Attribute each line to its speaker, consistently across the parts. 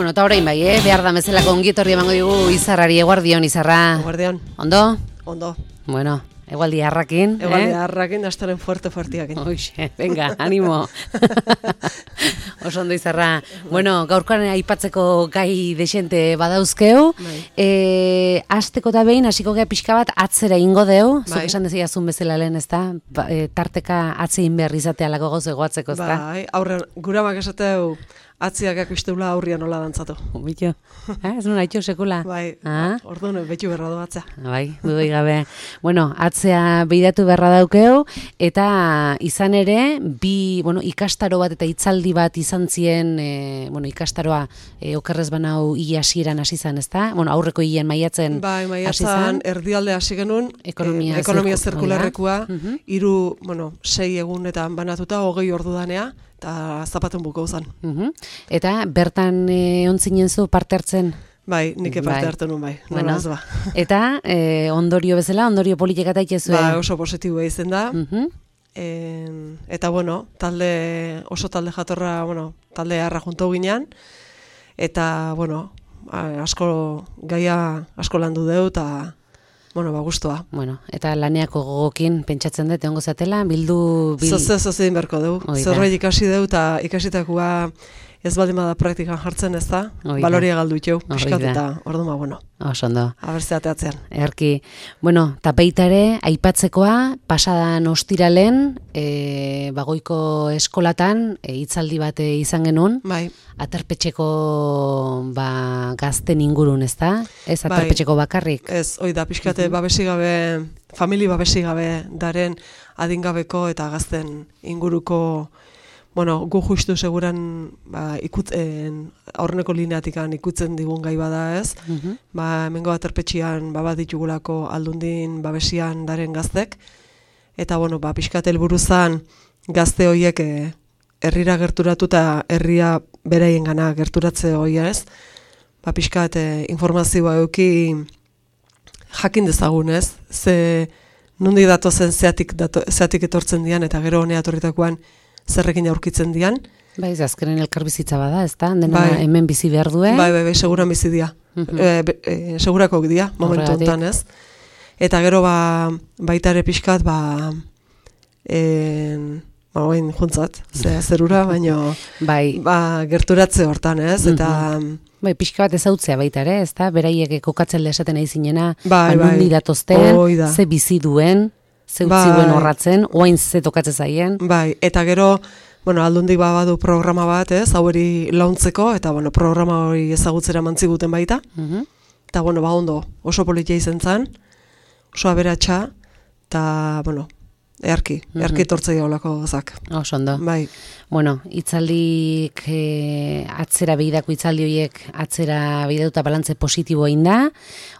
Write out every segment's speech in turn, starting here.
Speaker 1: Bueno, eta orain bai, behar da mezelako ongietorri emango digu Izarrari. Eguardion, Izarra.
Speaker 2: Eguardion.
Speaker 1: Ondo?
Speaker 2: Ondo.
Speaker 1: Bueno, egualdi harrakin.
Speaker 2: Egualdi harrakin, hastaren fuerteakin.
Speaker 1: Oixe, venga, animo. Oso ondo, Izarra. Bueno, gaurkoan aipatzeko gai desente badauzkeu. Hasteko da behin, hasiko gea pixka bat atzera ingo deu. Zuk esan deziazun bezala lehen, ezta? Tarteka atzein behar izatea lago gozo egoatzeko, ezta?
Speaker 2: Bai, aurrean, guramak esateu atziak akusteula aurrian nola dantzatu.
Speaker 1: Bitxo, ez nuen haitxo sekula.
Speaker 2: Bai, orduan betu berra doatzea.
Speaker 1: Bai, dudoi gabe. Bueno, atzea behiratu berra daukeu, eta izan ere, ikastaro bat eta hitzaldi bat izan zien, ikastaroa okerrez banau ia hasieran hasi zan, ezta? Aurreko hien maiatzen
Speaker 2: bai, maiatzen erdialde hasi genuen, ekonomia zirkularrekoa, 6 egunetan banatuta, 20 ordu danea, eta zapaten buko zan.
Speaker 1: Eta bertan ontzinen zu parte hartzen?
Speaker 2: Bai, nik parte hartu nun bai.
Speaker 1: Eta ondorio bezala, ondorio politikak daitezu?
Speaker 2: Ba, oso positiboa izen da. Eta oso talde jatorra, talde harra junto ginean. Eta, gaia asko landu deu, eta gustoa.
Speaker 1: Eta laneako gogokin pentsatzen dut, egongo zatela, bildu...
Speaker 2: Zozein berko dugu. Zerbait ikasi deu, eta ikasitakoa ez baldin bada praktikan jartzen ez da, baloria galdu itxeu, piskat eta orduan,
Speaker 1: Osondo.
Speaker 2: Abertzeateatzean.
Speaker 1: Erki. Eta baita ere, aipatzekoa, pasadan ostiralen, goiko eskolatan, hitzaldi bat izan genuen, aterpetxeko gazten ingurun, ez da? Ez aterpetxeko bakarrik?
Speaker 2: Ez, da, pixkate babesigabe, famili babesigabe daren adingabeko eta gazten inguruko, gu justu seguran aurreneko lineatikan ikutzen digun gai bada ez, hemengo aterpetxian bat ditugulako aldundin babesian daren gaztek, eta pixkate helburuzan gazte horiek herrira gerturatu eta herria beraien gana gerturatze hori ez, pixkat informazioa euki jakin dezagun ez, ze nundi datozen zeatik etortzen dian eta gero honea etorritakoan zerrekin aurkitzen dian.
Speaker 1: Bai, azkenen elkarbizitza bada, ez da? Dena hemen bizi behar duen?
Speaker 2: Bai, seguran bizi dia. Segurako dia, momentu honetan, ez? Eta gero baita ere pixkat, juntzat, zerura, baino gerturatze hortan, ez? Eta...
Speaker 1: Bai, pixka bat ezautzea baita ere, ez da? Beraiek kokatzen lehesaten nahi zinena, nundi datozten, ze bizi duen, zeutziguen horratzen, oain ze tokatzen zaien.
Speaker 2: Bai, eta gero, aldundik badu programa bat, ez, haueri launtzeko, eta programa hori ezagutzera mantziguten baita. Eta, ondo, oso politia izen zan, oso aberatsa, eta, earki etortzei gaulako gozak.
Speaker 1: Oso ondo.
Speaker 2: Bai.
Speaker 1: Hitzaldik atzera behidako hitzaldi horiek atzera behidatuta balantze positibo egin da,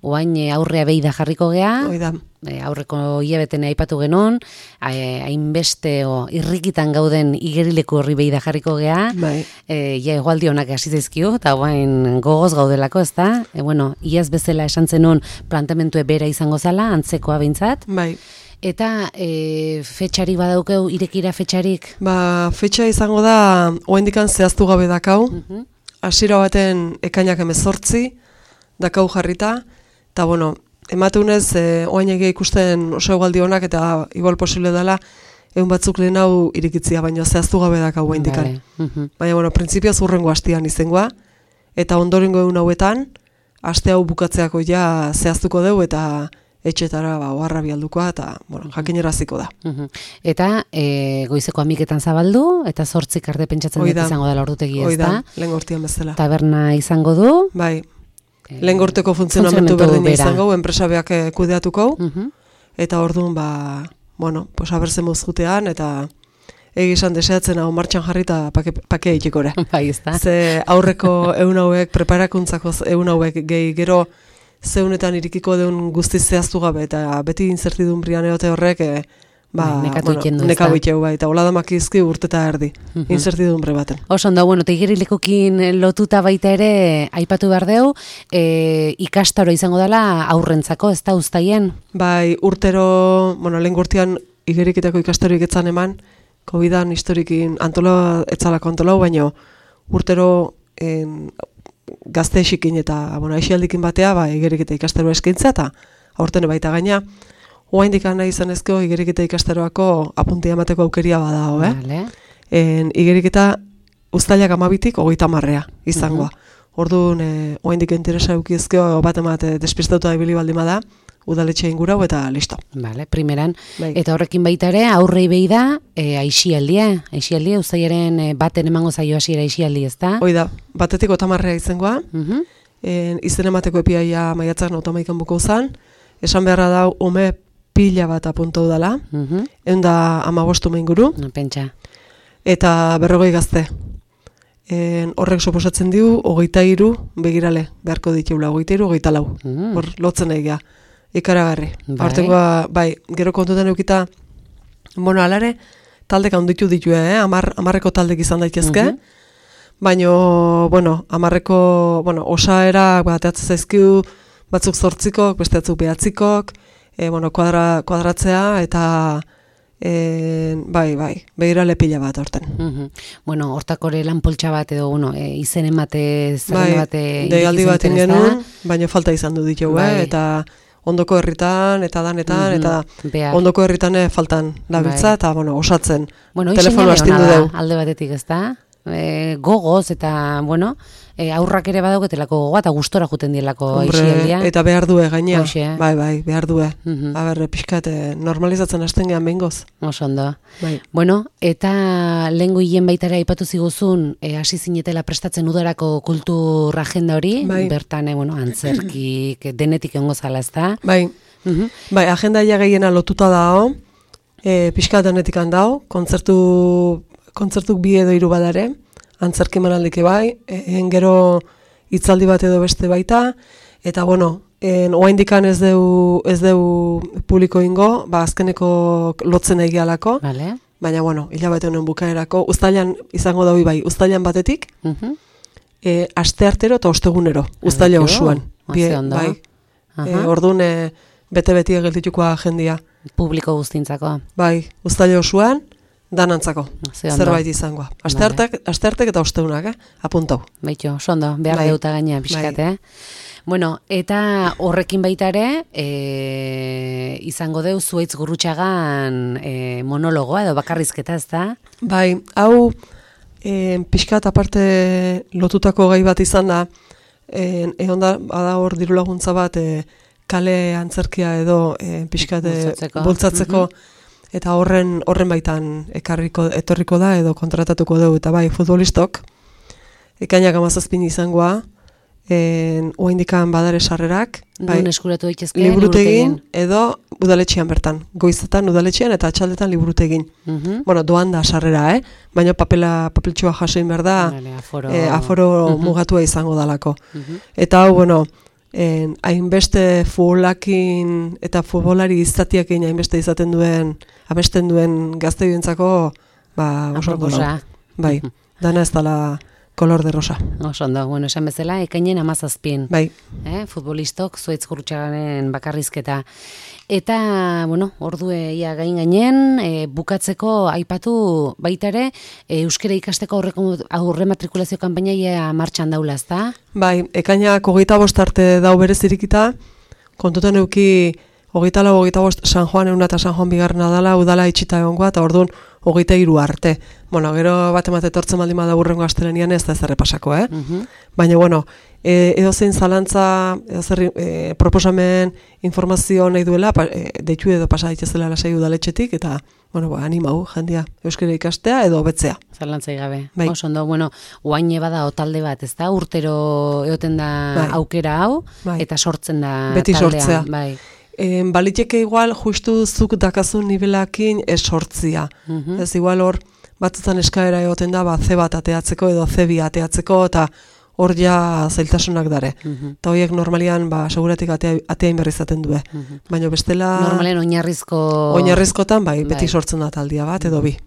Speaker 1: oain aurrea behida jarriko gea.
Speaker 2: Oida.
Speaker 1: Aurreko hilabeten aipatu genuen, hainbeste irrikitan gauden igerileku horri behida jarriko gea, egualdi honak hasi zaizkio, eta oain gogoz gaudelako, ez da? Iaz bezala esan zenun plantementue bera izango zala, antzekoa behintzat.
Speaker 2: Bai.
Speaker 1: Eta fetxarik badaukeu, irekira fetxarik?
Speaker 2: Fetxa izango da, oendikan zehaztu gabe dakau, hasiera baten ekainak 18 dakau jarrita, eta emateunez, oain egia ikusten oso egualdi honak, eta igual posible dela, egun batzuk lehen hau irikitzia, baina zehaztu gabe dakau oendikan. Baina, printzipioz urrengo hastian izengoa, eta ondorengo egun hauetan, haste hau bukatzeako ja zehaztuko deu, eta etxetara oharra bialdukoa, eta jakineraziko da.
Speaker 1: Eta goizeko 11etan zabaldu, eta 8 arte pentsatzen dut izango dela ordutegi, ez da?
Speaker 2: Lehen gortian bezala.
Speaker 1: Taberna izango du?
Speaker 2: Bai, lehen gorteko funtzionamentu berdina izango, enpresabeak kudeatuko, eta orduan, abertzen mozgutean, eta egizan deseatzen hau martxan jarri eta pakea itekora.
Speaker 1: Bai, ez da?
Speaker 2: Ze aurreko egun hauek, preparakuntzako egun hauek gehi gero, zeunetan irikiko deun guztiz zehaztu gabe, eta beti inzertidun brian eote horrek, nekatu itxeu bai, eta hola damakizki urteta erdi, inzertidun bre baten.
Speaker 1: Oso ondo, eta igerilekokin lotuta baita ere, aipatu behar deu, ikastaro izango dela aurrentzako, ez da uztaien?
Speaker 2: Bai, urtero, lehen gurtian igeriketako ikastaroik etzan eman, COVID-an historikin etzalako antolau, baino urtero gazte esikin eta, aixialdikin batea, igeriketa ikastaroa eskaintza, eta aurten baita gaina, oraindik nahi izan ezko igeriketa ikastaroako apuntia emateko aukeria badao,
Speaker 1: Vale.
Speaker 2: Igeriketa uztailak 12tik 30 izangoa. Orduan, oraindik interesa edukiezko bat emate despistatuta ibili baldin bada, udaletxe ingurau eta listo.
Speaker 1: Vale, primeran.
Speaker 2: Bai.
Speaker 1: Eta horrekin baita ere, aurrei behi da, aixialdia, uztailaren baten emango zaio hasiera aixialdi, ezta?
Speaker 2: Hoi da, batetik 30 izangoa, izen emateko epiaia maiatzak 31 buko zan, esan beharra da ume pila bat apuntu dela, 115 inguru,
Speaker 1: Pentsa.
Speaker 2: eta 40 gazte. Horrek suposatzen diu, 23 begirale, beharko ditugula, 23, 24. Hor, lotzen egia, ikaragarri. Hortengoa, gero kontutan eukita, alare, taldek handitu ditu, 10 taldek izan daitezke, baina, 10, osaera, ateatzen zaizkiu, batzuk 8, beste batzuk 9, kuadratzea, eta begirale pila bat horten.
Speaker 1: Hortakore lan poltsa bat edo, izen emate, zaren bate...
Speaker 2: Deialdi bat ingenuen, baina falta izan du ditugu, eta ondoko herritan, eta danetan, eta ondoko herritan faltan labiltza, eta osatzen. Telefono astindu dugu.
Speaker 1: Alde batetik ez da, gogoz, eta, aurrak ere badauketelako gogoa, eta gustora juten dielako aixialdia.
Speaker 2: Eta behar due gainea, behar due. Pixkat, normalizatzen hasten gehan behingoz.
Speaker 1: Osondo. Eta lehengo hien baitara aipatu ziguzun, hasi zinetela prestatzen udarako kultur agenda hori, bertan, antzerkik, denetik egongo zala, ez da?
Speaker 2: Agenda ia gehiena lotuta dao, pixkat denetik handao, kontzertuk 2 edo 3 badare, antzerki manaldike gero hitzaldi bat edo beste baita, eta oraindikan ez deu publiko ingo, azkeneko lotzen egialako, baina hilabete honen bukaerako, uztailan izango daui uztailan batetik, asteartero eta ostegunero, uztaila osoan. Orduan, bete-beti egeltituko agendia.
Speaker 1: Publiko guztintzako.
Speaker 2: Uztaila osoan, danantzako, zerbait izangoa. Asteartek eta ostegunak, apuntau.
Speaker 1: Baito, sondo, behar deuta gaina pixkat, eta horrekin baita ere, izango deu Zuaitz Gurrutxagan monologoa edo bakarrizketa, ez da?
Speaker 2: Hau pixkat aparte lotutako gai bat izan da, egon da, bada hor diru laguntza bat, kale antzerkia edo pixkat bultzatzeko, eta horren baitan etorriko da edo kontratatuko dugu, eta futbolistok, ekainak 17 izangoa, oraindikan badare sarrerak,
Speaker 1: eskuratu daitezke
Speaker 2: liburutegin edo udaletxean bertan, goizetan udaletxean eta atxaldetan liburutegin. Doan da sarrera, baina papeltxoa jasoin behar da, aforo mugatua izango dalako. Eta hau, hainbeste futbolakin eta futbolari izatiakin hainbeste izaten duen, abesten duen gazteioentzako, oso ondo. Dana ez dala kolor de rosa.
Speaker 1: Osondo, esan bezala, ekainen 17. Futbolistok, Zuaitz Gurrutxaganen bakarrizketa. Eta, ordue ia gainen, bukatzeko aipatu baitare, euskara ikasteko aurre matrikulazio kanpaina ia martxan daula, ez da?
Speaker 2: Ekainak 25 arte dau berezirikita, kontutan euki 24 San Juan egun eta San Juan bigarrena dala, udala itxita egongoa, eta orduan 23 arte. Gero bat emate etortzen baldin bada burrengo astelenian ez da ez errepasako, Baina, edozein zalantza, edozer proposamen informazio nahi duela, deitu edo pasa daitezela lasai udaletxetik, eta, animau, jendia, euskara ikastea edo betzea.
Speaker 1: Zalantzai gabe. Osondo, oaine bada talde bat, ez da? Urtero egoten da aukera hau, eta sortzen da
Speaker 2: beti
Speaker 1: taldea.
Speaker 2: Sortzea. Baliteke igual, justu zuk dakazun nivelakin sortzia. Ez igual hor, batzutan eskaera egoten da, C bat ateatzeko edo C2 ateatzeko, eta hor ja zailtasunak dare. Eta horiek normalian, seguratik ateain berri izaten du. Baina bestela...
Speaker 1: Normalen oinarrizko...
Speaker 2: Oinarrizkotan, beti sortzen da taldia bat, edo bi.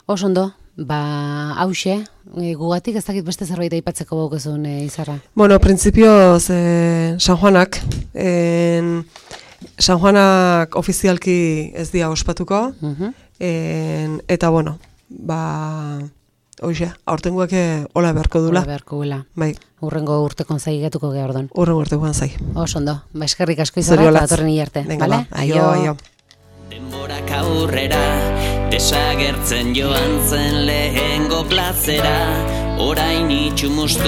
Speaker 1: Osondo, hause, gugatik ez dakit beste zerbait aipatzeko baukezun, Izarra?
Speaker 2: Printzipioz, San Juanak, San Juanak ofizialki ez dia ospatuko, eta Hoxe, aurtengoak hola beharko dula.
Speaker 1: Hola beharko dula.
Speaker 2: Bai.
Speaker 1: Urrengo urtekon zaigetuko geha ordon.
Speaker 2: Urrengo urtekoan zai.
Speaker 1: Ondo, eskerrik asko izara eta datorren hilarte.
Speaker 2: Venga, ba, aio.
Speaker 3: Denborak aurrera, desagertzen joan zen lehengo plazera, orain itxumustu